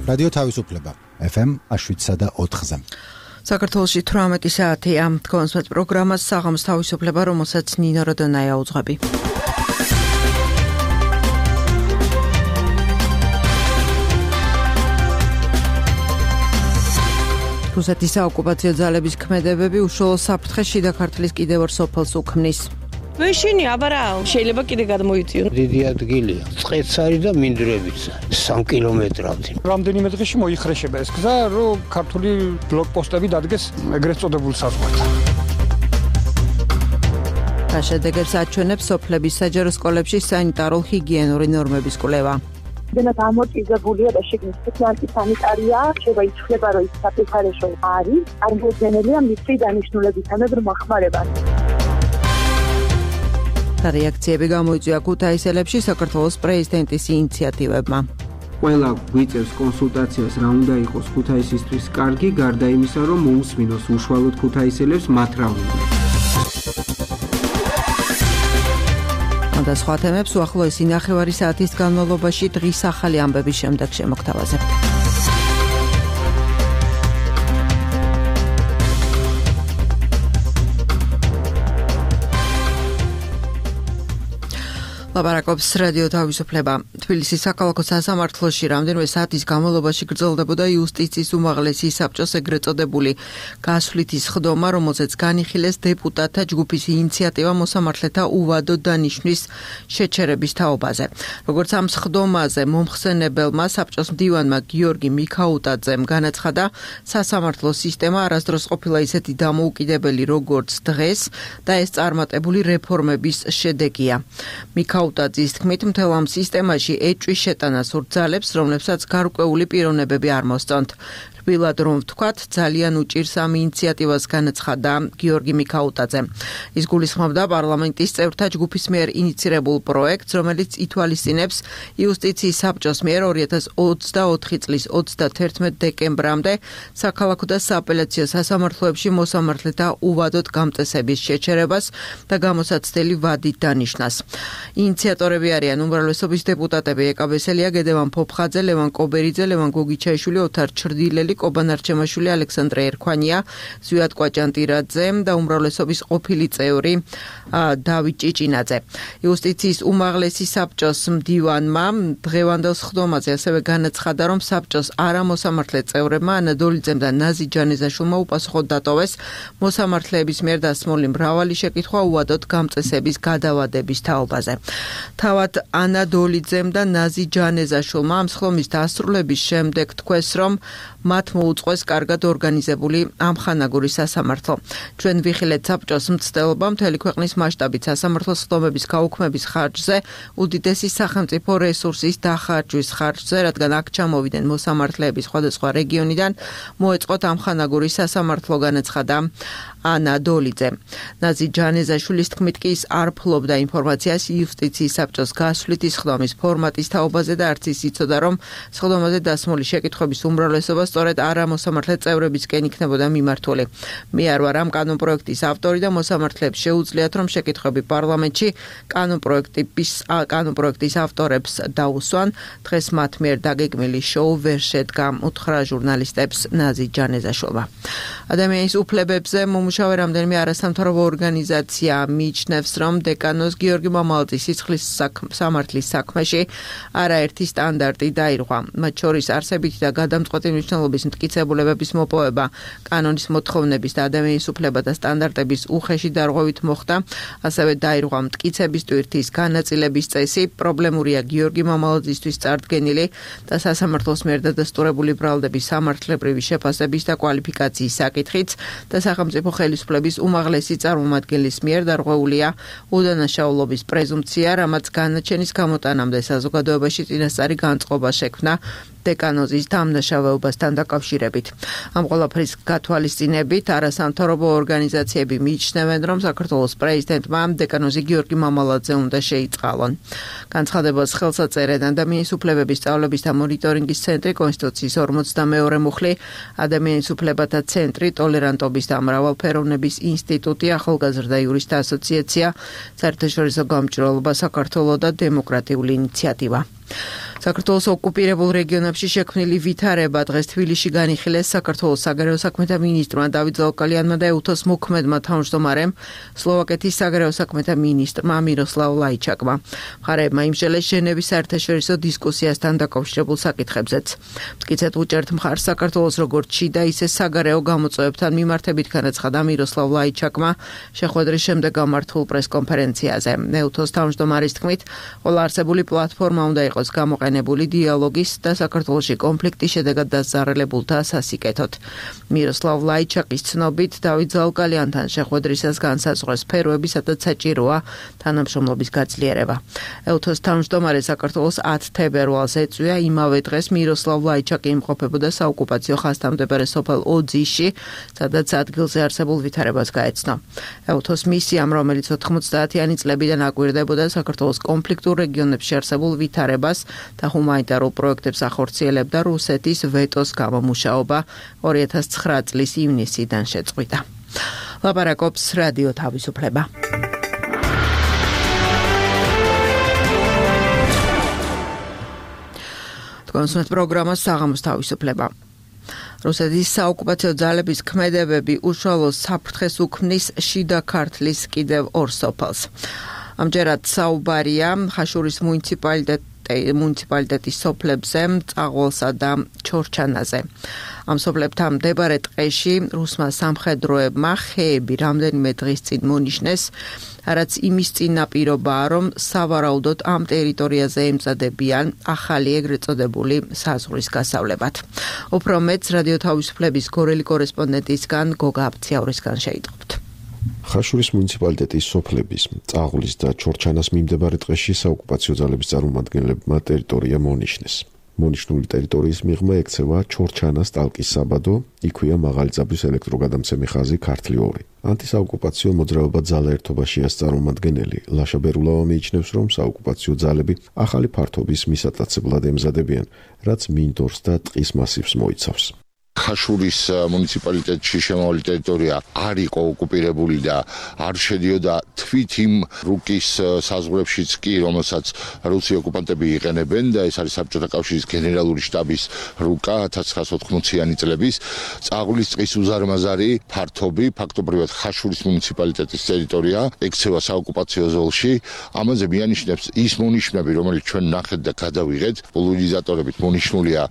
რადიო თავისუფლება FM 7.4-ზე. საქართველოში 18 საათია. თქვენს პროგრამას საღამოს თავისუფლება, რომელსაც ნინო როდონაია უძღვები. რუსეთის საოკუპაციო ძალების ქმედებები უშუალო საფრთხეს შიდა ქართლის კიდევ ორ სოფელს უქმნის. ვეშინი აბარა შეიძლება კიდე გადმოიწიონ. დიდი ადგილია. წყეც არის და მინდვრებიც 3 კილომეტრავდი. რამდენიმე დღეში მოიხრეშება ეს გზა, რომ ქართული ბლოკპოსტები დადგეს ეგრეთ წოდებულ საზღვართან. შედეგებს აჩვენებს სოფლების საჯარო სკოლებში სანიტარულ-ჰიგიენური ნორმების კვლევა. დენათ ამორტიზებულია და შეგნის სპეციალური სანიტარია, შეიძლება ითვლება, რომ ის საფეხარეშო არის, წარმოუდგენელია მისი დანიშნულებისგან და მოხმარებას. რეაქციები გამოიწვია ქუთაისელებში საქართველოს პრეზიდენტის ინიციატივებმა. ყველა გვიწევს კონსულტაციას რა უნდა იყოს ქუთაისისთვის კარგი, გარდა იმისა, რომ მოусმინოს უშუალოდ ქუთაისელებს მათ რა უნდა. და სხვა თემებს უახლოესი 9 საათის განმავლობაში დღის ახალი ამბების შემდეგ შემოგთავაზებთ. ლაპარაკობს რადიო თავისუფლება. თბილისის საქალაქო სასამართლოში რამდენიმე საათის განმავლობაში გრძელდებოდა იუსტიციის უმაღლესი საბჭოს ეგრეთ წოდებული გასვლითი სხდომა, რომელზეც განიხილეს დეპუტატთა ჯგუფის ინიციატივა მოსამართლეთა უვადო დანიშვნის შეჩერების თაობაზე. როგორც ამ სხდომაზე მომხსენებელმა საბჭოს მდივანმა გიორგი მიქაუტაძემ განაცხადა, სასამართლო სისტემა არასდროს ყოფილა ისეთი დამოუკიდებელი, როგორც დღეს და ეს წარმატებული რეფორმების შედეგია. მიქაუტაძის თქმით, მთელ ამ სისტემაში ეჭვის შეტანას ურთძალებს, რომლებსაც გარკვეული პიროვნებები არ მოსწონთ. რბილად რომ ვთქვათ, ძალიან უჭირს ამ ინიციატივას განაცხადა გიორგი მიქაუტაძე. ის გულისხმობდა პარლამენტის წევრთა ჯგუფის მიერ ინიცირებულ პროექტს, რომელიც ითვალისწინებს იუსტიციის საბჭოს მიერ 2024 წლის 31 დეკემბრამდე საქალაქო და სააპელაციო სასამართლოებში მოსამართლეთა უვადოდ გამწესების შეჩერებას და გამოსაცდელი ვადით დანიშნას. ინიციატორები არიან უმრავლესობის დეპუტატები ეკაბესელია, გედევან ფოფხაძე, ლევან კობერიძე, ლევან გოგიჩაიშვილი, ოთარ ჩრდილელი, კობან არჩემაშვილი, ალექსანდრე ერქვანია, ზვიად კვაჭანტირაძე და უმრავლესობის ყოფილი წევრი დავით ჭიჭინაძე. იუსტიციის უმაღლესი საბჭოს მდივანმა დღევანდელ სხდომაზე ასევე განაცხადა, რომ საბჭოს არამოსამართლე წევრებმა ანა დოლიძემ და ნაზი ჯანეზაშვილმა უპასუხოდ დატოვეს მოსამართლეების მიერ დასმული მრავალი შეკითხვა უვადოდ გამწესების გადავადების თაობაზე. თავად ანა დოლიძემ და ნაზი ჯანეზაშვილმა ამ სხდომის დასრულების შემდეგ თქვეს, რომ მათ მოუწყვეს კარგად ორგანიზებული ამხანაგური სასამართლო. ჩვენ ვიხილეთ საბჭოს მცდელობა მთელი ქვეყნის მასშტაბით სასამართლო სხდომების გაუქმების ხარჯზე, უდიდესი სახელმწიფო რესურსის დახარჯვის ხარჯზე, რადგან აქ ჩამოვიდნენ მოსამართლეები სხვადასხვა რეგიონიდან, მოეწყოთ ამხანაგური სასამართლო, განაცხადა ანა დოლიძე. ნაზი ჯანეზაშვილის თქმით კი ის არ ფლობდა ინფორმაციას იუსტიციის საბჭოს გასვლითი სხდომის ფორმატის თაობაზე და არც ის იცოდა, რომ სხდომაზე დასმული შეკითხვების უმრავლესობა სწორედ არამოსამართლე წევრებისკენ იქნებოდა მიმართული. მე არ ვარ ამ კანონპროექტის ავტორი და მოსამართლეებს შეუძლიათ, რომ შეკითხვები პარლამენტში კანონპროექტის ავტორებს დაუსვან. დღეს მათ მიერ დაგეგმილი შოუ ვერ შედგა, უთხრა ჟურნალისტებს ნაზი ჯანეზაშვილმა. ადამიანის უფლებებზე მომუშავე რამდენიმე არასამთავრობო ორგანიზაცია მიიჩნევს, რომ დეკანოს გიორგი მამალაძის სიცხლის სამართლის საქმეში არაერთი სტანდარტი დაირღვა. მათ შორის არსებითი და გადამწყვეტი მნიშვნელობის მტკიცებულებების მოპოვება, კანონის მოთხოვნების და ადამიანის უფლებათა სტანდარტების უხეში დარღვევით მოხდა, ასევე დაირღვა მტკიცების ტვირთის განაწილების წესი, პრობლემურია გიორგი მამალაძისთვის წარდგენილი და სასამართლოს მიერ დადასტურებული ბრალდების სამართლებრივი შეფასების და კვალიფიკაციის საკითხიც და სახელმწიფო ხელისუფლების უმაღლესი წარმომადგენლის მიერ დარღვეულია უდანაშაულობის პრეზუმპცია, რამაც განაჩენის გამოტანამდე საზოგადოებაში წინასწარი განწყობა შექმნა დეკანოზის დამნაშავეობასთან დაკავშირებით. ამ ყველაფრის გათვალისწინებით არასამთავრობო ორგანიზაციები მიიჩნევენ, რომ საქართველოს პრეზიდენტმა დეკანოზი გიორგი მამალაძე უნდა შეიწყალონ. განცხადებას ხელს აწერენ ადამიანის უფლებების სწავლების და მონიტორინგის ცენტრი, კონსტიტუციის 42 მუხლი, ადამიანის უფლებათა ცენტრი, ტოლერანტობის და მრავალფეროვნების ინსტიტუტი, ახალგაზრდა იურისტთა ასოციაცია, საერთაშორისო გამჭვირვალობა საქართველოს და დემოკრატიული ინიციატივა. საქართველოს ოკუპირებულ რეგიონებში შექმნილი ვითარება დღეს თბილისში განიხილეს საქართველოს საგარეო საქმეთა მინისტრმა დავით ზაუკალიანმა და EUTOS მოქმედმა თავმჯდომარემ სლოვაკეთის საგარეო საქმეთა მინისტრმა მიროსლავ ლაიჩაკმა. მხარეებმა იმსჯელეს ჟენევის საერთაშორისო დისკუსიასთან დაკავშირებულ საკითხებზეც. მტკიცედ უჭერთ მხარს საქართველოს როგორც შიდა, ისე საგარეო გამოწვევებთან მიმართებით განაცხადა მიროსლავ ლაიჩაკმა შეხვედრის შემდეგ გამართულ პრესკონფერენციაზე. EUTOS თავმჯდომარის თქმით, ყველა არსებული პლატფორმა უნდა იყოს გამოყენებული დიალოგის და საქართველოში კონფლიქტის შედეგად დასწარელებულთა სასიკეთოდ. მიროსლავ ლაიჩაკის ცნობით, დავით ზაუკალიანთან შეხვედრისას განსაზღვრეს სფეროები, სადაც საჭიროა თანამშრომლობის გაძლიერება. EUTOS თავმჯდომარე საქართველოს 10 თებერვალს ეწვია, იმავე დღეს მიროსლავ ლაიჩაკი იმყოფებოდა საოკუპაციო ხაზთამდებარე სოფელ ოძიში, სადაც ადგილზე არსებულ ვითარებას გაეცნო. EUTOS მისიამ, რომელიც 90-იანი წლებიდან აკვირდებოდა საქართველოს კონფლიქტურ რეგიონებში არსებულ ვითარებას და ჰუმანიტარულ პროექტებს ახორციელებდა, რუსეთის ვეტოს გამომუშავება 2009 წლის ივნისიდან შეწყვიტა. ლაპარაკობს რადიო თავისუფლება. კონსულტ პროგრამას საღამოს თავისუფლება. რუსეთის საოკუპაციო ძალების ქმედებები უშუალო საფრთხეს უქმნის შიდა ქართლის კიდევ ორ სოფელს. ამჯერად საუბარია ხაშურის მუნიციპალიტეტის სოფლებზე, წაღვალსა და ჩორჩანაზე. ამ სოფლებთან მდებარე ტყეში რუსმა სამხედროებმა ხეები რამდენიმე დღის წინ მონიშნეს, რაც იმის წინაპირობაა, რომ სავარაუდოდ ამ ტერიტორიაზე ემწადებიან ახალი ეგრეთ წოდებული საზღვრის გასავლებად. უფრო მეტს რადიო თავისუფლების გორელი კორესპონდენტისგან გოგა აფციაურისგან შეიტყობთ. ხაშურის მუნიციპალიტეტის სოფლების, წაღulis და ჩორჩანას მიმდებარე ტყეში საოკუპაციო ძალების წარმომადგენლებმა ტერიტორია მონიშნეს. მონიშნული ტერიტორიის მიღმა ექცევა ჩორჩანას ტალკის საბადო, იქვეა მაღალი ძაბვის ელექტროგადამცემი ხაზი ქართლი 2. ანტისაოკუპაციო მოძრაობა ძალა ერთობაშიას წარმომადგენელი ლაშა ბერულავა მიიჩნევს, რომ საოკუპაციო ძალები ახალი ფართობის მისატაცებლად ემზადებიან, რაც მინდორს და ტყის მასივს მოიცავს. ხაშურის მუნიციპალიტეტში შემავალი ტერიტორია არ იყო ოკუპირებული და არ შედიოდა თვით იმ რუკის საზღვრებშიც კი, რომელსაც რუსი ოკუპანტები იყენებენ და ეს არის საბჭოთა კავშირის გენერალური შტაბის რუკა 1980-იანი წლების. წაღulis ტყის უზარმაზარი ფართობი, ფაქტობრივად ხაშურის მუნიციპალიტეტის ტერიტორია ექცევა საოკუპაციო ზოლში. ამაზე მიანიშნებს ის მონიშნები, რომელიც ჩვენ ნახეთ და გადავიღეთ, პოლარიზატორებით მონიშნულია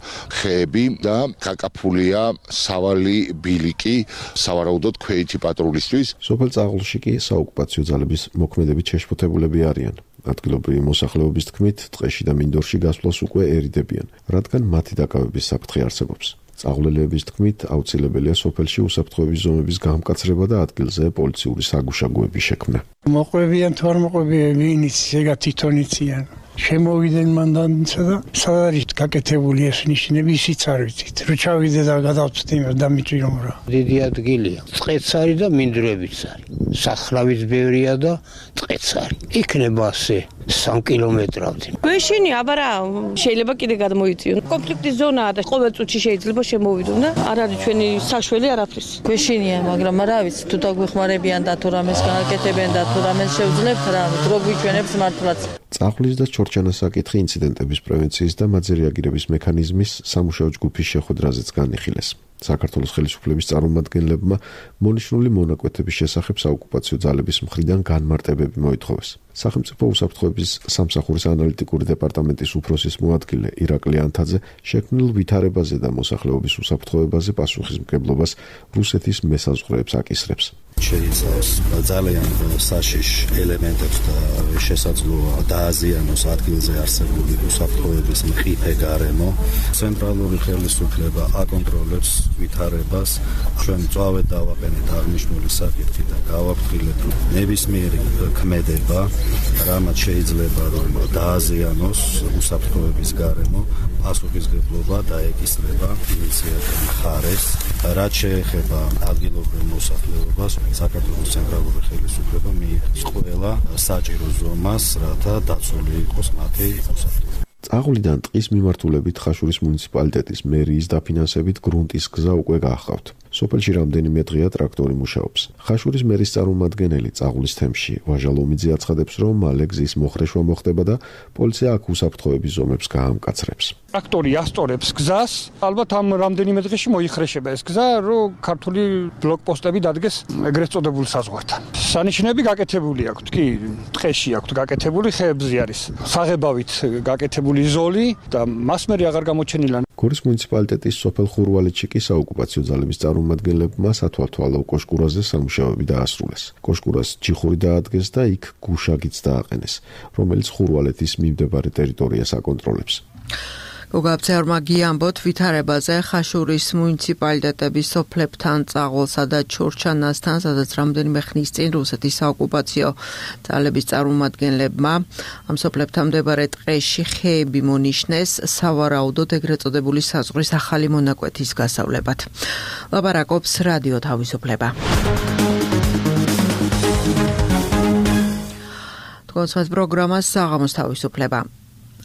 ხეები და გაკაფულია სავალი ბილიკი, სავარაუდოდ ქვეითი პატრულისთვის. სოფელ წაღულში კი საოკუპაციო ძალების მოქმედებით შეშფოთებულები არიან. ადგილობრივი მოსახლეობის თქმით, ტყეში და მინდორში გასვლას უკვე ერიდებიან, რადგან მათი დაკავების საფრთხე არსებობს. წაღულელების თქმით, აუცილებელია სოფელში უსაფრთხოების ზომების გამკაცრება და ადგილზე პოლიციური საგუშაგოების შექმნა. მოყვებიან თუ არ მოყვებიან, ვინიც ეგა თვითონ იციან. შემოვიდნენ მანდანისა და სად არის გაკეთებული ეს ნიშნები, ისიც არ ვიცით. რო ჩავიდე და გადავწვდი იმას დამიჭირომ რა. დიდი ადგილია. წყეც არის და მინდვრებიც არის. სახრავიც ბევრია და წყეც არის. იქნება ასე 3 კილომეტრავდი. გვეშინი აბა რა, შეიძლება კიდე გადმოიწიონ. კონფლიქტის ზონაა და ყოველ წუთში შეიძლება შემოვიდონ და არ არის ჩვენი საშველი არაფრის. გვეშინია, მაგრამ რა ვიცი, თუ დაგვეხმარებიან და თუ რამეს გააკეთებენ და თუ რამეს შევძლებთ, რა დრო გვიჩვენებს მართლაც. წაღulis და ჩორჩანას საკითხი ინციდენტების პრევენციის და მათზე რეაგირების მექანიზმის სამუშაო ჯგუფის შეხვედრაზეც განიხილეს. საქართველოს ხელისუფლების წარმომადგენლებმა მონიშნული მონაკვეთების შესახებ საოკუპაციო ძალების მხრიდან განმარტებები მოითხოვეს. სახელმწიფო უსაფრთხოების სამსახურის ანალიტიკური დეპარტამენტის უფროსის მოადგილე ირაკლი ანთაძე შექმნილ ვითარებაზე და მოსახლეობის უსაფრთხოებაზე პასუხისმგებლობას რუსეთის მესაზღვრეებს აკისრებს. შეიცავს ძალიან საშიშ ელემენტებს და შესაძლოა დააზიანოს ადგილზე არსებული უსაფრთხოების მყიფე გარემო. ცენტრალური ხელისუფლება აკონტროლებს ვითარებას. ჩვენ მწვავედ დავაყენეთ აღნიშნული საკითხი და გავაფრთხილეთ, რომ ნებისმიერი ქმედება, რამაც შეიძლება რომ დააზიანოს უსაფრთხოების გარემო, პასუხისმგებლობა დაეკისრება ინიციატორ მხარეს. რაც შეეხება ადგილობრივ მოსახლეობას, საქართველოს ცენტრალური ხელისუფლება მიიღებს ყველა საჭირო ზომას, რათა დაცული იყოს მათი მოსახლეობა. წაღულიდან ტყის მიმართულებით ხაშურის მუნიციპალიტეტის მერიის დაფინანსებით გრუნტის გზა უკვე გაახავთ. სოფელში რამდენიმე დღეა ტრაქტორი მუშაობს. ხაშურის მერის წარმომადგენელი წაღულის თემში ვაჟა ლომიძე აცხადებს, რომ მალე გზის მოხრეშვა მოხდება და პოლიცია აქ უსაფრთხოების ზომებს გაამკაცრებს. ტრაქტორი ასწორებს გზას, ალბათ ამ რამდენიმე დღეში მოიხრეშება ეს გზა, რომ ქართული ბლოკპოსტები დადგეს ეგრეთ წოდებულ საზღვართან. სანიშნები გაკეთებული აქვს, კი, ტყეში აქვს გაკეთებული, ხეებზე არის საღებავით გაკეთებული ზოლი და მას მე აღარ გამოჩენილა. გორის მუნიციპალიტეტის სოფელ ხურვალეთში კი საოკუპაციო ძალების წარმომადგენლებმა სათვალთვალო კოშკურაზე სამუშაოები დაასრულეს. კოშკურას ჯიხური დაადგეს და იქ გუშაგიც დააყენეს, რომელიც ხურვალეთის მიმდებარე ტერიტორიას აკონტროლებს. გოგაბცეორმა გიამბოთ ვითარებაზე ხაშურის მუნიციპალიტეტების სოფლებთან წაღოლსა და ჩორჩანასთან, სადაც რამდენიმე ხნის წინ რუსეთის საოკუპაციო ძალების წარმომადგენლებმა ამ სოფლებთან მდებარე ტყეში ხეები მონიშნეს სავარაუდოდ ეგრეთ წოდებული საზღვრის ახალი მონაკვეთის გასავლებად. ლაპარაკობს რადიო თავისუფლება. თქვენს პროგრამას საღამოს თავისუფლება.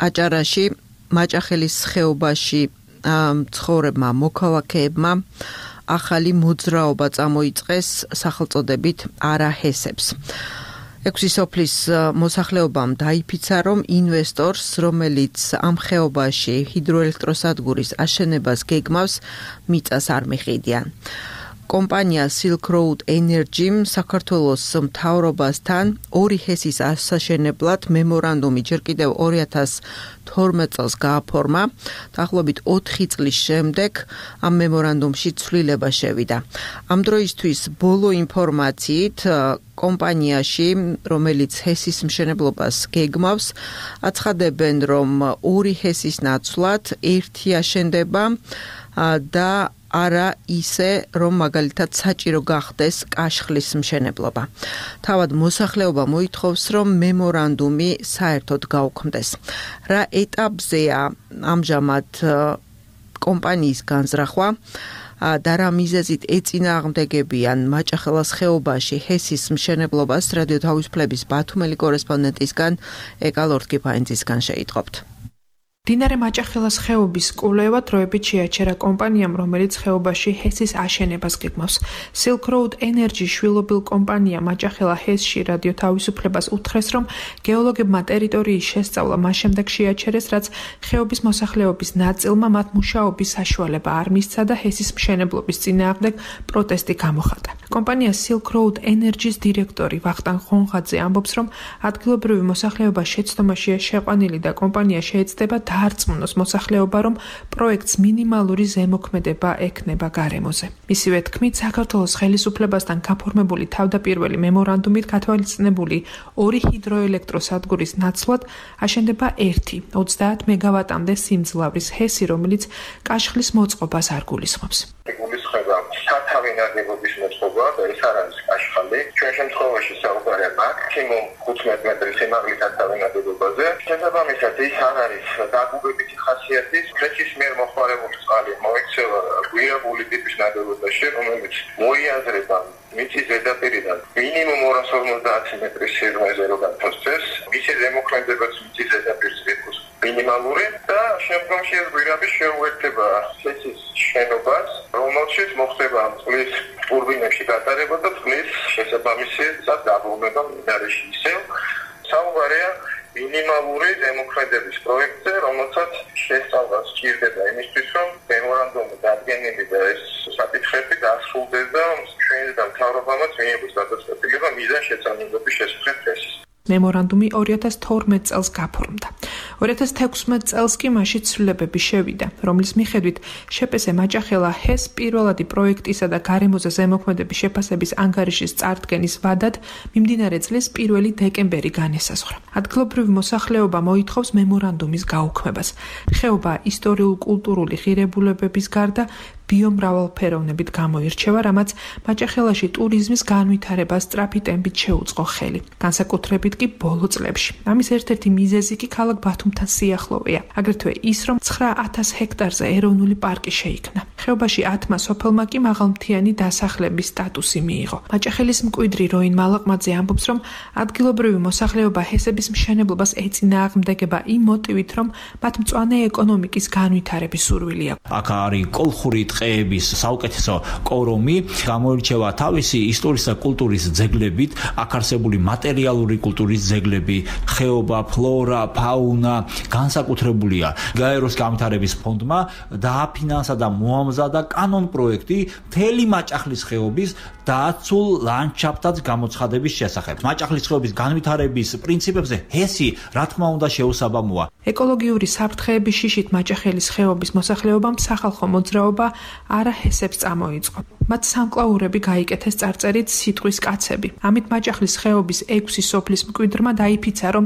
აჭარაში მაჭახელის ხეობაში ცხოვრებმა მოქალაქეებმა ახალი მოძრაობა წამოიწყეს სახელწოდებით არაჰესებს. 6 სოფლის მოსახლეობამ დაიფიცა, რომ ინვესტორს, რომელიც ამ ხეობაში ჰიდროელექტროსადგურის აშენებას გეგმავს, მიწას არ მიყიდიან. კომპანია Silk Road Energy საქართველოს მთავრობასთან 2 ჰესის ასაშენებლად მემორანდუმი ჯერ კიდევ 2012 წელს გააფორმა. დაახლოებით 4 წლის შემდეგ ამ მემორანდუმში ცვლილება შევიდა. ამ დროისთვის ბოლო ინფორმაციით კომპანიაში, რომელიც ჰესის მშენებლობას გეგმავს, აცხადებენ, რომ 2 ჰესის ნაცვლად 1 აშენდება და არა ისე, რომ მაგალითად საჭირო გახდეს კაშხლის მშენებლობა. თავად მოსახლეობა მოითხოვს, რომ მემორანდუმი საერთოდ გაუქმდეს. რა ეტაპზეა ამჟამად კომპანიის განზრახვა და რა მიზეზით ეწინააღმდეგებიან მაჭახელას ხეობაში ჰესის მშენებლობას, რადიო თავისუფლების ბათუმელი კორესპონდენტისგან ეკალორდ კიფაინძისგან შეიტყობთ. მდინარე მაჭახელას ხეობის კვლევა დროებით შეაჩერა კომპანიამ, რომელიც ხეობაში ჰესის აშენებას გეგმავს. Silk Road Energy შვილობილ კომპანია მაჭახელა ჰესში რადიო თავისუფლებას უთხრეს, რომ გეოლოგებმა ტერიტორიის შესწავლა მას შემდეგ შეაჩერეს, რაც ხეობის მოსახლეობის ნაწილმა მათ მუშაობის საშუალება არ მისცა და ჰესის მშენებლობის წინააღმდეგ პროტესტი გამოხატა. კომპანია Silk Road Energy-ს დირექტორი ვახტანგ ხონხაძე ამბობს, რომ ადგილობრივი მოსახლეობა შეცდომაშია შეყვანილი და კომპანია შეეცდება დაარწმუნოს მოსახლეობა, რომ პროექტს მინიმალური ზემოქმედება ექნება გარემოზე. მისივე თქმით, საქართველოს ხელისუფლებასთან გაფორმებული თავდაპირველი მემორანდუმით გათვალისწინებული 2 ჰიდროელექტროსადგურის ნაცვლად აშენდება 1 30 მეგავატამდე სიმძლავრის ჰესი, რომელიც კაშხლის მოწყობას არ გულისხმობს. სათავე ნაგებობის მოწყობა და ეს არ არის კაშხალი. ჩვენ შემთხვევაში საუბარია მაქსიმუმ 15 მეტრის სიმაღლის სათავე ნაგებობაზე. შესაბამისად ის არ არის დაგუგებითი ხასიათის ფლეჩის მიერ მოხმარებული წყალი მოექცევა გვიაბული ტიპის ნაგებობაში, რომელიც მოიაზრება მიწის ზედაპირიდან მინიმუმ 250 მეტრის სიღრმეზე რო გათვალისწინებს, მისი ზემოქმედებაც მიწის ზედაპირს ეკუთვნის მინიმალური და შემდგომში ეს გვირაბი შეუერთდება ჰესის შენობას, რომელშიც მოხდება წყლის ტურბინებში გატარება და წყლის შესაბამისად დაბრუნება მდინარეში ისევ. საუბარია მინიმალური ზემოქმედების პროექტზე, რომელსაც შესწავლა სჭირდება იმისთვის, რომ მემორანდუმი დადგენილი და ეს საკითხები დასრულდეს და ჩვენი და მთავრობამაც მიიღოს გადაწყვეტილება მიზანშეწონილობის შესახებ დღეს. მემორანდუმი 2012 წელს გაფორმდა. 2016 წელს კი მასში ცვლილებები შევიდა, რომლის მიხედვით შეპესე მაჭახელა ჰეს პირველადი პროექტისა და გარემოზე ზემოქმედების შეფასების ანგარიშის წარდგენის ვადად მიმდინარე წლის 1 დეკემბერი განესაზღვრა. ადგილობრივი მოსახლეობა მოითხოვს მემორანდუმის გაუქმებას. ხეობა ისტორიულ-კულტურული ღირებულებების გარდა ბიომრავალფეროვნებით გამოირჩევა, რამაც მაჭახელაში ტურიზმის განვითარებას სწრაფი ტემპით შეუწყო ხელი. განსაკუთრებით კი ბოლო წლებში. ამის ერთ-ერთი მიზეზი კი ქალაქ ბათუმთან სიახლოვეა. აგრეთვე ის, რომ 9000 ჰექტარზე ეროვნული პარკი შეიქმნა. ხეობაში 10-მა სოფელმა კი მაღალმთიანი დასახლების სტატუსი მიიღო. მაჭახელის მკვიდრი როინ მალაყმაძე ამბობს, რომ ადგილობრივი მოსახლეობა ჰესების მშენებლობას ეწინააღმდეგება იმ მოტივით, რომ მათ მწვანე ეკონომიკის განვითარების სურვილი აქვს. აქ არის კოლხური ტყეების საუკეთესო კორომი, გამოირჩევა თავისი ისტორიის და კულტურის ძეგლებით, აქ არსებული მატერიალური კულტურის ძეგლები, ხეობა, ფლორა, ფაუნა, განსაკუთრებულია. გაეროს განვითარების ფონდმა დააფინანსა და მოამზადა კანონ პროექტი მთელი მაჭახლის ხეობის დაცულ ლანდშაფტად გამოცხადების შესახებ. მაჭახლის ხეობის განვითარების პრინციპებზე ჰესი, რა თქმა უნდა, შეუსაბამოა. ეკოლოგიური საფრთხეების შიშით მაჭახელის ხეობის მოსახლეობამ სახალხო მოძრაობა არა ჰესებს წამოიწყო. მათ სამკლაურები გაიკეთეს წარწერით სიტყვის კაცები. ამით მაჭახლის ხეობის 6 სოფლის მკვიდრმა დაიფიცა, რომ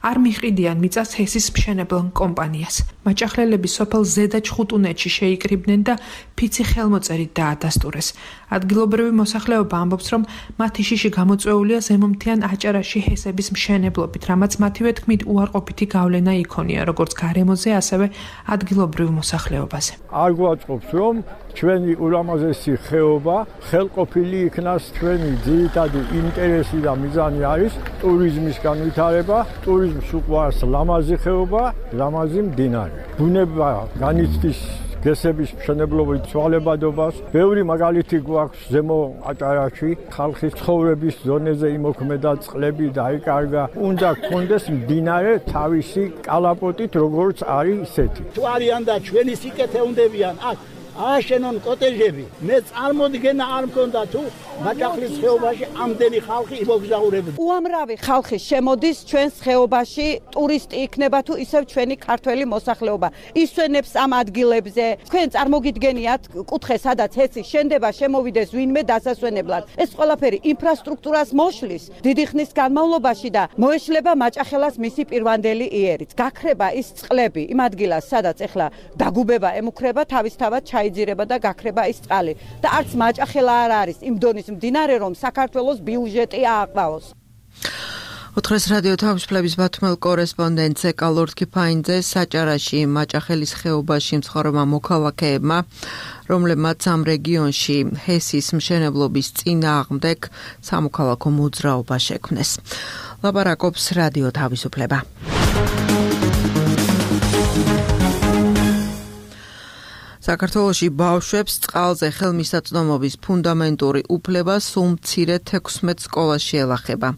არ მიყიდიან მიწას ჰესის მშენებლ კომპანიას. მაჭახლელები სოფელ ზედა ჩხუტუნეთში შეიკრიბნენ და ფიცი ხელმოწერით დაადასტურეს. ადგილობრივი მოსახლეობა ამბობს, რომ მათი შიში გამოწვეულია ზემომთიან აჭარაში ჰესების მშენებლობით, რამაც მათივე თქმით უარყოფითი გავლენა იქონია როგორც გარემოზე, ასევე ადგილობრივ მოსახლეობაზე. არ გვაწყობს, რომ ჩვენი ულამაზესი ხეობა ხელყოფილი იქნას. ჩვენი ძირითადი ინტერესი და მიზანი არის ტურიზმის განვითარება. ტურიზმს უყვარს ლამაზი ხეობა, ლამაზი მდინარე. ბუნება განიცდის გესების მშენებლობით ცვალებადობას. ბევრი მაგალითი გვაქვს ზემო აჭარაში, ხალხის ცხოვრების ზონეზე იმოქმედა წყლები დაიკარგა. უნდა გქონდეს მდინარე თავისი კალაპოტით, როგორც არის ისეთი. თუ არიან და ჩვენი სიკეთე უნდებიან აქ აშენონ კოტეჟები. მე წარმოდგენა არ მქონდა თუ მაჭახლის ხეობაში ამდენი ხალხი იმოგზაურებდა. უამრავი ხალხი შემოდის ჩვენს ხეობაში, ტურისტი იქნება თუ ისევ ჩვენი ქართველი მოსახლეობა. ისვენებს ამ ადგილებზე. თქვენ წარმოგიდგენიათ კუთხე, სადაც ჰესი შენდება, შემოვიდეს ვინმე დასასვენებლად. ეს ყველაფერი ინფრასტრუქტურას მოშლის დიდი ხნის განმავლობაში და მოეშლება მაჭახელას მისი პირვანდელი იერით. გაქრება ის წყლები იმ ადგილას, სადაც ეხლა დაგუბება ემუქრება, თავისთავად ჩაიძირება და გაქრება ის წყალი. და არც მაჭახელა არ არის იმ დონის მდინარე, რომ საქართველოს ბიუჯეტი ააყბაოს. ოთხრეს რადიო თავისუფლების ბათუმელ კორესპონდენტ ლორდ კიფაინძე საჭარაში მაჭახელის ხეობაში მცხოვრებმა მოქალაქეებმა, რომლებმაც ამ რეგიონში ჰესის მშენებლობის წინააღმდეგ სამოქალაქო მოძრაობა შექმნეს. ლაპარაკობს რადიო თავისუფლება. საქართველოში ბავშვებს წყალზე ხელმისაწვდომობის ფუნდამენტური უფლება სულ მცირე 16 სკოლაში ელახება.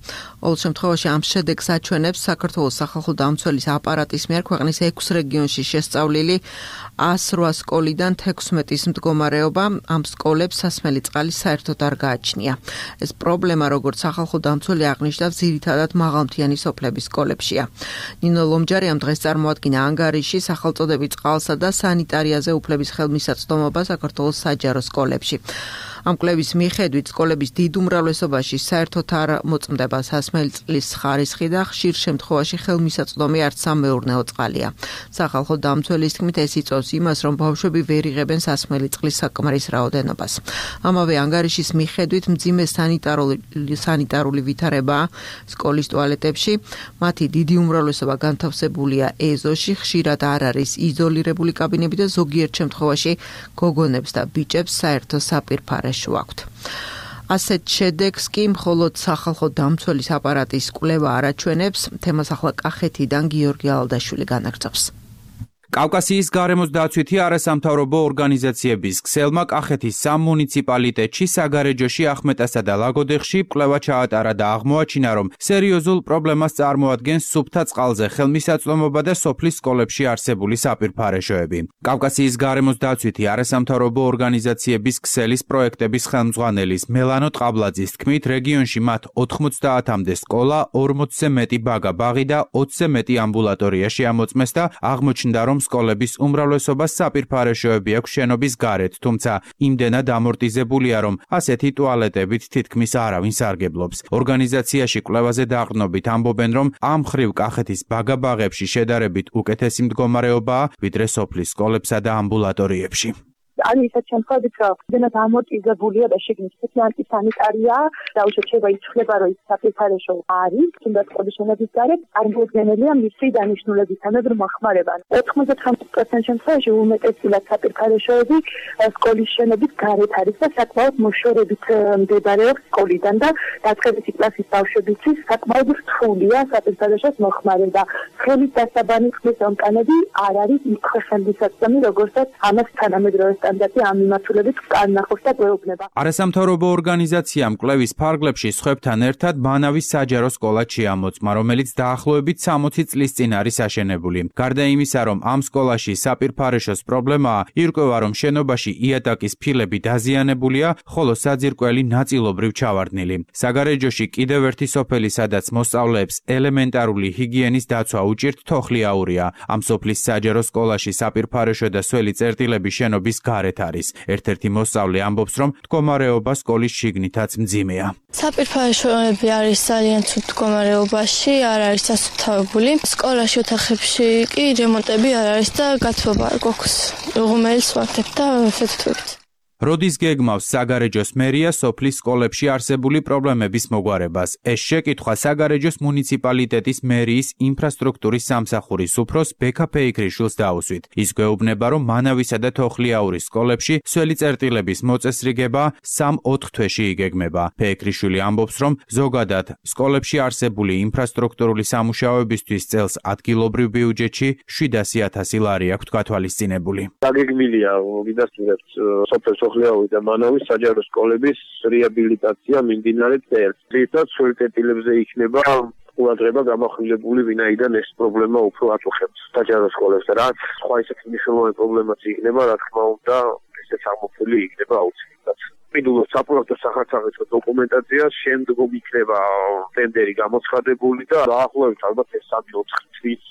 ყოველ შემთხვევაში ამ შედეგს აჩვენებს საქართველოს სახალხო დამცველის აპარატის მიერ ქვეყნის 6 რეგიონში შესწავლილი 108 სკოლიდან 16-ის მდგომარეობა. ამ სკოლებს სასმელი წყალი საერთოდ არ გააჩნია. ეს პრობლემა, როგორც სახალხო დამცველი აღნიშნავს, ძირითადად მაღალმთიანი სოფლების სკოლებშია. ნინო ლომჯარიამ დღეს წარმოადგინა ანგარიში სახელწოდებით წყალსა და სანიტარიაზე უფლების ხელმისაწვდომობა საქართველოს საჯარო სკოლებში. ამ კვლევის მიხედვით სკოლების დიდ უმრავლესობაში საერთოდ არ მოწმდება სასმელი წყლის ხარისხი და ხშირ შემთხვევაში ხელმისაწვდომი არც სამეურნეო წყალია. სახალხო დამცველის თქმით ეს იწვევს იმას, რომ ბავშვები ვერ იღებენ სასმელი წყლის საკმარის რაოდენობას. ამავე ანგარიშის მიხედვით მძიმე სანიტარული ვითარებაა სკოლის ტუალეტებში. მათი დიდი უმრავლესობა განთავსებულია ეზოში, ხშირად არ არის იზოლირებული კაბინები და ზოგიერთ შემთხვევაში გოგონებს და ბიჭებს საერთო საპირფარე შუაქვთ. ასეთ შედეგს კი მხოლოდ სახალხო დამცველის აპარატის კვლევა არაჩვენებს, თემას ახლა კახეთიდან გიორგი ალდაშვილი განაგრძობს. კავკასიის გარემოს დაცვითი არასამთავრობო ორგანიზაციების ქსელმა კახეთის სამ მუნიციპალიტეტში, საგარეჯოში, ახმეტასა და ლაგოდეხში კვლევა ჩაატარა და აღმოაჩინა, რომ სერიოზულ პრობლემას წარმოადგენს სუფთა წყალზე ხელმისაწვდომობა და სოფლის სკოლებში არსებული საპირფარეშოები. კავკასიის გარემოს დაცვითი არასამთავრობო ორგანიზაციების ქსელის პროექტების ხელმძღვანელის მელანო ტყაბლაძის თქმით, რეგიონში მათ 90-მდე სკოლა, 40-ზე მეტი ბაღი და 20-ზე მეტი ამბულატორია შეამოწმეს და აღმოჩნდა, რომ სკოლების უმრავლესობას საპირფარეშოები აქვს შენობის გარეთ, თუმცა იმდენად ამორტიზებულია, რომ ასეთი ტუალეტებით თითქმის არავინ სარგებლობს. ორგანიზაციაში კვლევაზე დაყრდნობით ამბობენ, რომ ამ მხრივ კახეთის ბაღებში შედარებით უკეთესი მდგომარეობაა, ვიდრე სოფლის სკოლებსა და ამბულატორიებში. არის ისეთ შემთხვევებით, რომ ძენად ამორტიზებულია და შეგნის სპეციალური სანიტარია, დაუშვათ შეიძლება იცვლება, რომ ის საფრთხეშო არის, თუნდაც სკოლის შენობის გარეთ, წარმოუდგენელია მისი დანიშნულებისამებრ მოხმარება. 99% შემთხვევაში უმეტესად საფრთხეშოები სკოლის შენობის გარეთ არის და საკმაოდ მოშორებით მდებარეობს სკოლიდან და დაწყებითი კლასის ბავშვებიც საკმაოდ რთულია საფრთხეშოს მოხმარება. ხელის დასაბანი ხმის ომკანები არ არის იმ ხელმისაწვდომი, როგორცაც ამას თანამედროვე კანდიდატი ამ მიმართულებით განახორციელებს და გვეუბნება. არასამთავრობო ორგანიზაციამ კვლევის ფარგლებში სხვებთან ერთად მანავის საჯარო სკოლა შეამოწმა, რომელიც დაახლოებით 60 წლის წინ არის აშენებული. გარდა იმისა, რომ ამ სკოლაში საპირფარეშოს პრობლემაა, ირკვევა, რომ შენობაში იატაკის ფილები დაზიანებულია, ხოლო საძირკველი ნაწილობრივ ჩავარდნილი. საგარეჯოში კიდევ ერთი სოფელი, სადაც მოსწავლეებს ელემენტარული ჰიგიენის დაცვა უჭირთ, თოხლიაურია. ამ სოფლის საჯარო სკოლაში საპირფარეშო და სველი წერტილები შენობის გარეთ არის. ერთ-ერთი მოსწავლე ამბობს, რომ მდგომარეობა სკოლის შიგნითაც მძიმეა. საპირფარეშოები არის ძალიან ცუდ მდგომარეობაში, არ არის დასუფთავებული. სკოლაში ოთახებში კი რემონტები არ არის და გათბობა არ გვაქვს. ღუმელს ვარდებ და ვეთქვით. როდის გეგმავს საგარეჯოს მერია სოფლის სკოლებში არსებული პრობლემების მოგვარებას? ეს შეკითხვა საგარეჯოს მუნიციპალიტეტის მერიის ინფრასტრუქტურის სამსახურის უფროს ბექა ფეიქრიშვილს დაუსვით. ის გვეუბნება, რომ მანავისა და თოხლიაურის სკოლებში სველი წერტილების მოწესრიგება 3-4 თვეში იგეგმება. ფეიქრიშვილი ამბობს, რომ ზოგადად სკოლებში არსებული ინფრასტრუქტურული სამუშაოებისთვის წელს ადგილობრივ ბიუჯეტში 700,000 ლარი აქვს გათვალისწინებული. დაგეგმილია გიდასტურებთ სოფელ თოხლიაური და მანავის საჯარო სკოლების რეაბილიტაცია მიმდინარე წელს. თვითონ სველი წერტილებზე იქნება ყურადღება გამახვილებული, ვინაიდან ეს პრობლემა უფრო აწუხებს საჯარო სკოლებს, რაც სხვა ისეთი მნიშვნელოვანი პრობლემაც იქნება, რა თქმა უნდა, ესეც აღმოფხული იქნება აუცილებლად. მიდულოს საპროექტო სახარცაღეცო დოკუმენტაცია შემდგომ იქნება ტენდერი გამოცხადებული და დაახლოებით ალბათ ეს 3-4 თვის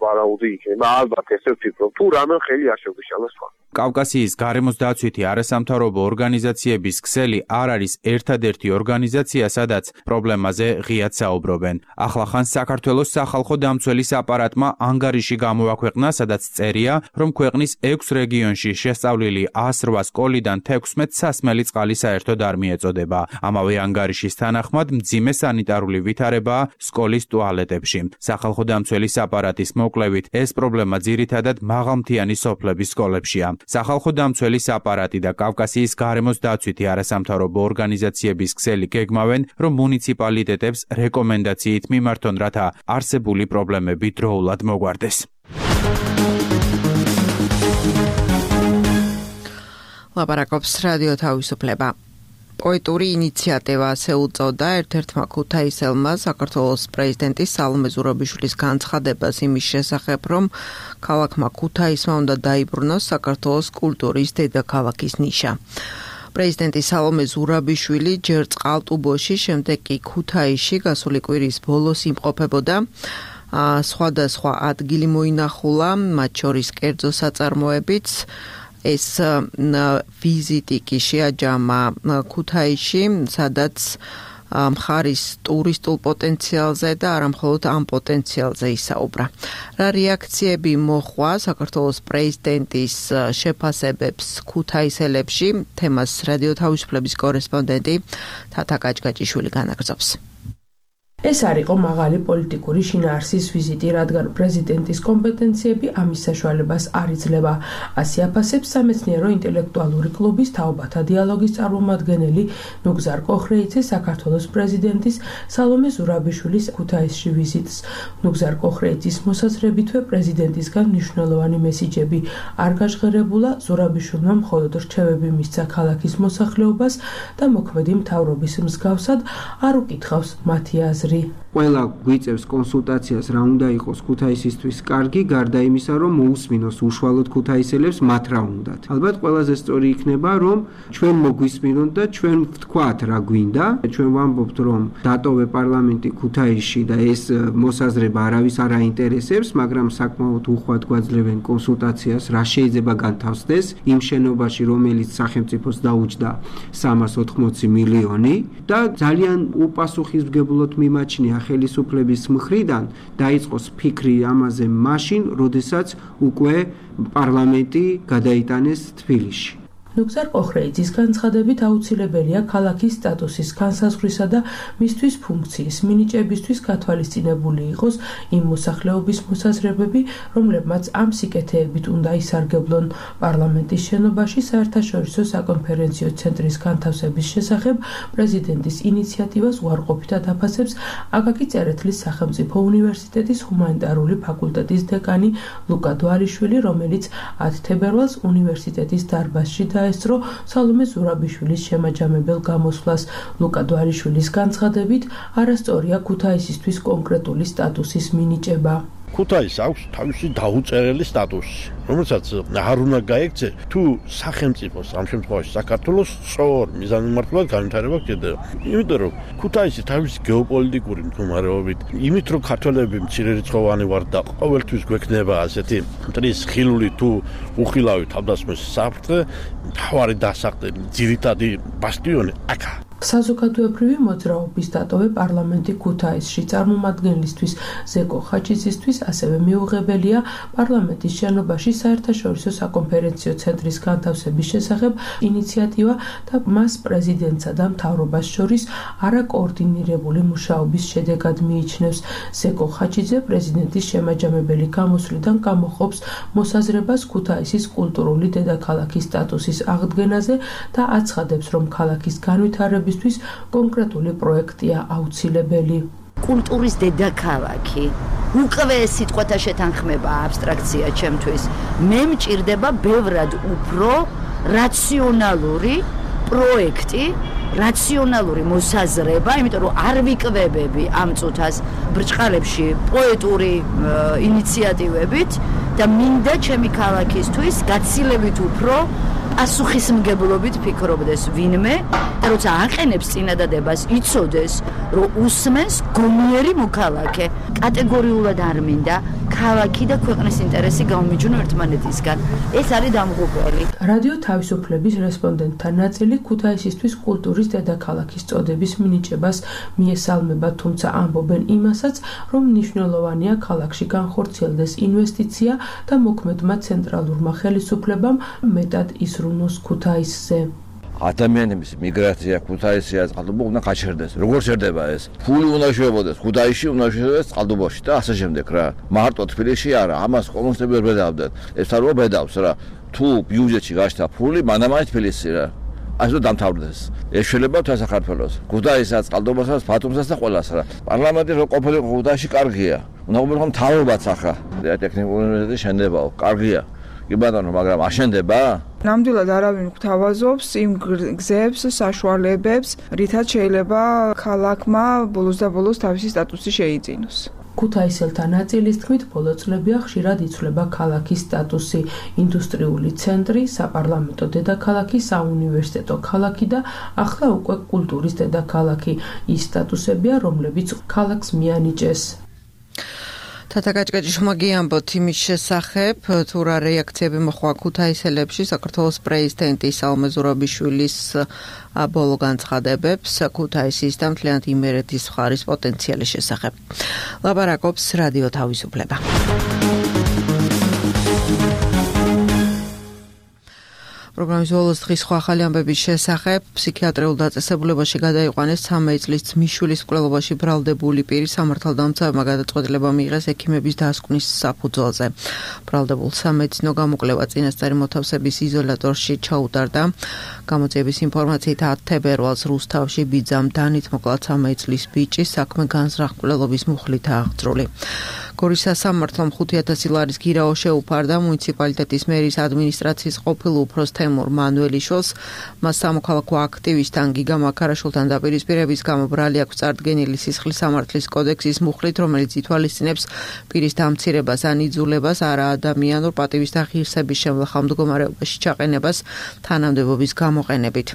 ვარაუდი იქნება. ალბათ ესე ვფიქრობ, თუ რამე ხელი არ შეგვიშალა სხვა. კავკასიის გარემოს დაცვითი არასამთავრობო ორგანიზაციების ქსელი არ არის ერთადერთი ორგანიზაცია, სადაც პრობლემაზე ღიად საუბრობენ. ახლახან საქართველოს სახალხო დამცველის აპარატმა ანგარიში გამოაქვეყნა, სადაც წერია, რომ ქვეყნის 6 რეგიონში შესწავლილი 108 სკოლიდან 16 სასმელი წყალი საერთოდ არ მიეწოდება. ამავე ანგარიშის თანახმად მძიმე სანიტარული ვითარებაა სკოლის ტუალეტებში. სახალხო დამცველის აპარატის მოკვლევით ეს პრობლემა ძირითადად მაღალმთიანი სოფლების სკოლებშია. სახალხო დამცველის აპარატი და კავკასიის გარემოს დაცვითი არასამთავრობო ორგანიზაციების ქსელი გეგმავენ, რომ მუნიციპალიტეტებს რეკომენდაციით მიმართონ, რათა არსებული პრობლემები დროულად მოგვარდეს. ლაპარაკობს რადიო თავისუფლება. პოეტური ინიციატივა ასე უწოდა ერთ-ერთმა ქუთაისელმა საქართველოს პრეზიდენტის სალომე ზურაბიშვილის განცხადებას იმის შესახებ, რომ ქალაქმა ქუთაისმა უნდა დაიბრუნოს საქართველოს კულტურის დედაქალაქის ნიშა. პრეზიდენტი სალომე ზურაბიშვილი ჯერ წყალტუბოში, შემდეგ კი ქუთაისში გასული კვირის ბოლოს იმყოფებოდა. სხვადასხვა ადგილი მოინახულა, მათ შორის კერძო საწარმოებიც. ეს ვიზიტი კი შეაჯამა ქუთაისში, სადაც მხარის ტურისტულ პოტენციალზე და არა მხოლოდ ამ პოტენციალზე ისაუბრა. რა რეაქციები მოხვა საქართველოს პრეზიდენტის შეფასებებს ქუთაისელებში? თემას რადიო თავისუფლების კორესპონდენტი თათა კაჭკაჭიშვილი განაგრძობს. ეს არ იყო მაღალი პოლიტიკური შინაარსის ვიზიტი, რადგან პრეზიდენტის კომპეტენციები ამის საშუალებას არ იძლევა. ასე აფასებს სამეცნიერო ინტელექტუალური კლუბის თაობათა დიალოგის წარმომადგენელი ნუგზარ კოხრეიძე საქართველოს პრეზიდენტის სალომე ზურაბიშვილის ქუთაისში ვიზიტს. ნუგზარ კოხრეიძის მოსაზრებითვე პრეზიდენტისგან მნიშვნელოვანი მესიჯები არ გაჟღერებულა, ზურაბიშვილმა მხოლოდ რჩევები მისცა ქალაქის მოსახლეობას და მოქმედი მთავრობის მსგავსად არ უკითხავს მათი აზრი. ყველა გვიწევს კონსულტაციას რა უნდა იყოს ქუთაისისთვის კარგი, გარდა იმისა, რომ მოусმინოს უშუალოდ ქუთაისელებს მათ რა უნდათ. ალბათ ყველაზე სწორი იქნება, რომ ჩვენ მოგვისმინოთ და ჩვენ ვთქვათ რა გვინდა. ჩვენ ვამბობთ, რომ დატოვე პარლამენტი ქუთაისში და ეს მოსაზრება არავის არ აინტერესებს, მაგრამ საკმაოდ უხვად გვაძლევენ კონსულტაციას, რა შეიძლება განთავსდეს იმ შენობაში, რომელიც სახელმწიფოს დაუჯდა 380 მილიონი და ძალიან უპასუხისმგებლოდ მიმაჩნია ხელისუფლების მხრიდან დაიწყოს ფიქრი ამაზე მაშინ, როდესაც უკვე პარლამენტი გადაიტანეს თბილისში. ნუგზარ ყოხრეიძის განცხადებით აუცილებელია ქალაქის სტატუსის განსაზღვრისა და მისთვის ფუნქციის მინიჭებისთვის გათვალისწინებული იყოს იმ მოსახლეობის მოსაზრებები, რომლებმაც ამ სიკეთეებით უნდა ისარგებლონ. პარლამენტის შენობაში საერთაშორისო საკონფერენციო ცენტრის განთავსების შესახებ პრეზიდენტის ინიციატივას უარყოფითად აფასებს აკაკი წერეთლის სახელმწიფო უნივერსიტეტის ჰუმანიტარული ფაკულტეტის დეკანი ლუკა დვალიშვილი, რომელიც 10 თებერვალს უნივერსიტეტის დარბაზში დაესწრო სალომე ზურაბიშვილის შემაჯამებელ გამოსვლას. ლუკა დვალიშვილის განცხადებით, არასწორია ქუთაისისთვის კონკრეტული სტატუსის მინიჭება. ქუთაისს აქვს თავისი დაუწერელი სტატუსი, რომელსაც არ უნდა გაექცე თუ სახელმწიფოს, ამ შემთხვევაში საქართველოს სწორ მიზანმიმართულად განვითარება გჭირდება. იმიტომ რომ ქუთაისი თავისი გეოპოლიტიკური მდგომარეობით, იმით რომ ქართველები მცირერიცხოვანი ვართ და ყოველთვის გვექნება ასეთი მტრის ხილული თუ უხილავი თავდასხმის საფრთხე, მთავარი დასახდე, ძირითადი ბასტიონი აქა. საზოგადოებრივი მოძრაობის დატოვე პარლამენტი ქუთაისში წარმომადგენლისთვის ზეკო ხაჩიძისთვის ასევე მიუღებელია პარლამენტის შენობაში საერთაშორისო საკონფერენციო ცენტრის განთავსების შესახებ ინიციატივა და მას პრეზიდენტსა და მთავრობას შორის არაკოორდინირებული მუშაობის შედეგად მიიჩნევს. ზეკო ხაჩიძე პრეზიდენტის შემაჯამებელი გამოსვლიდან გამოხობს მოსაზრებას ქუთაისის კულტურული დედაქალაქის სტატუსის აღდგენაზე და აცხადებს, რომ ქალაქის განვითარების კონკრეტული პროექტია აუცილებელი. კულტურის დედაქალაქი უკვე სიტყვათა შეთანხმება აბსტრაქცია ჩემთვის. მე მჭირდება ბევრად უფრო რაციონალური პროექტი, რაციონალური მოსაზრება, იმიტომ რომ არ ვიკვებები ამ წუთას ბრჭყალებში პოეტური ინიციატივებით და მინდა ჩემი ქალაქისთვის გაცილებით უფრო პასუხისმგებლობით ფიქრობდეს ვინმე და როცა აყენებს წინადადებას იცოდეს, რომ უსმენს გონიერი მოქალაქე. კატეგორიულად არ მინდა ქალაქი და ქვეყნის ინტერესი გამომიჯნო ერთმანეთისგან. ეს არის დამღუპველი. რადიო თავისუფლების რესპონდენტთა ნაწილი ქუთაისისთვის კულტურის დედაქალაქის წოდების მინიჭებას მიესალმება, თუმცა ამბობენ იმასაც, რომ მნიშვნელოვანია ქალაქში განხორციელდეს ინვესტიცია და მოქმედმა ცენტრალურმა ხელისუფლებამ მეტად ისრუნოს ქუთაისზე. ადამიანების მიგრაცია ქუთაისია წყალტუბო უნდა გაჩერდეს. როგორ ჩერდება ეს? ფული უნდა შევებოდეს ქუთაისში, უნდა შევებოდეს წყალტუბოში და ასე შემდეგ რა. მარტო თბილისში არა, ამას კომუნისტები ვერ ბედავდნენ. ეს თაროა ბედავს რა. თუ ბიუჯეტში გაჩნდა ფული, მანამაინც თბილისი რა. ასე დამთავრდეს. ეს შეიძლება თუ საქართველოს. ქუთაისაც, წყალტუბოსაც, ბათუმსაც და ყველას რა. პარლამენტი რო ყოფილიყო ქუთაისში კარგია. უნდა ყოფილიყო მთავრობაც ახლა. ტექნიკური უნივერსიტეტი შენდებაო, კარგია. კი ბატონო, მაგრამ აშენდება? ნამდვილად არავინ გვთავაზობს იმ გზებს, საშუალებებს, რითაც შეიძლება ქალაქმა ბოლოს და ბოლოს თავისი სტატუსი შეიძინოს. ქუთაისელთა ნაწილის თქმით, ბოლო წლებია ხშირად იცვლება ქალაქის სტატუსი, ინდუსტრიული ცენტრი, საპარლამენტო დედაქალაქი, საუნივერსიტეტო ქალაქი და ახლა უკვე კულტურის დედაქალაქი. ის სტატუსებია, რომლებიც ქალაქს მიანიჭეს. თათაკაჭკაჭი შუმაგიამბოთ იმის შესახებ, თუ რა რეაქციები მოხდა ქუთაისელებში საქართველოს პრეზიდენტი სალომე ზურაბიშვილის ბოლო განცხადებებს ქუთაისის და მთლიანად იმერეთის მხარის პოტენციალის შესახებ. ლაპარაკობს რადიო თავისუფლება. პროგრამის ბოლოს დღის სხვა ახალი ამბების შესახებ ფსიქიატრიულ დაწესებულებაში გადაიყვანეს 13 წლის ძმისშვილის მკვლელობაში ბრალდებული პირი სამართალდამცავებმა გადაწყვეტილება მიიღეს ექიმების დასკვნის საფუძველზე. ბრალდებულ სამედიცინო გამოკვლევა წინასწარი მოთავსების იზოლატორში ჩაუტარდა. გამოძიების ინფორმაციით 10 თებერვალს რუსთავში ბიძამ დანით მოკლა 13 წლის ბიჭი საქმე განზრახ მკვლელობის მუხლით აღძრული. გორის სასამართლომ 5000 ლარის გირაო შეუფარდა მუნიციპალიტეტის მერის ადმინისტრაციის ყოფილ უფროს თემურ მანუელიშვილს. მას სამოქალაქო აქტივისტთან გიგა მაქარაშვილთან დაპირისპირების გამო ბრალი აქვს წარდგენილი სისხლის სამართლის კოდექსის მუხლით, რომელიც ითვალისწინებს პირის დამცირებას ან იძულებას არა ადამიანურ პატივის და ღირსების შემლახავ მდგომარეობაში ჩაყენებას თანამდებობის გამოყენებით.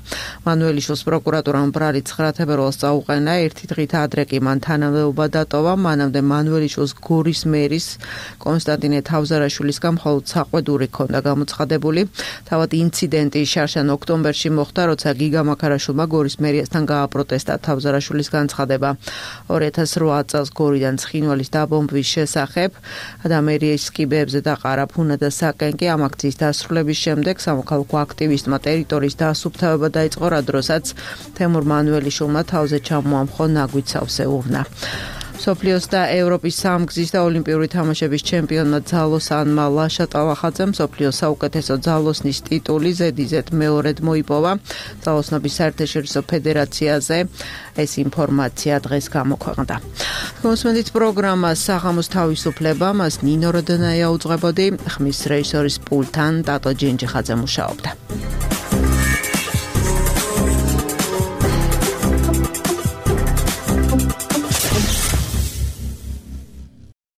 მანუელიშვილს პროკურატურამ ბრალი 9 თებერვალს წაუყენა, ერთი დღით ადრე კი მან თანამდებობა დატოვა. მანამდე მანუელიშვილს გორის გორის მერის კონსტანტინე თავზარაშვილისგან მხოლოდ საყვედური ჰქონდა გამოცხადებული. თავად ინციდენტი შარშან ოქტომბერში მოხდა, როცა გიგა მაქარაშვილმა გორის მერიასთან გააპროტესტა თავზარაშვილის განცხადება. 2008 წელს გორიდან ცხინვალის დაბომბვის შესახებ და მერიის კიბეებზე დაყარა ფუნა და საკენკი. ამ აქციის დასრულების შემდეგ სამოქალაქო აქტივისტმა ტერიტორიის დაასუფთავება დაიწყო, რა დროსაც თემურ მანუელიშვილმა თავზე ჩამოამხო ნაგვით სავსეურნა. მსოფლიოს და ევროპის სამგზის და ოლიმპიური თამაშების ჩემპიონმა ძალოსანმა ლაშა ტალახაძემ მსოფლიოს საუკეთესო ძალოსნის ტიტული ზედიზედ მეორედ მოიპოვა ძალოსნობის საერთაშორისო ფედერაციაზე. ეს ინფორმაცია დღეს გამოქვეყნდა. მოსმენით პროგრამა საღამოს თავისუფლება, მას ნინო როდონაია უძღვებოდი, ხმის რეჟისორის პულტთან ტატო ჯინჯიხაძე მუშაობდა.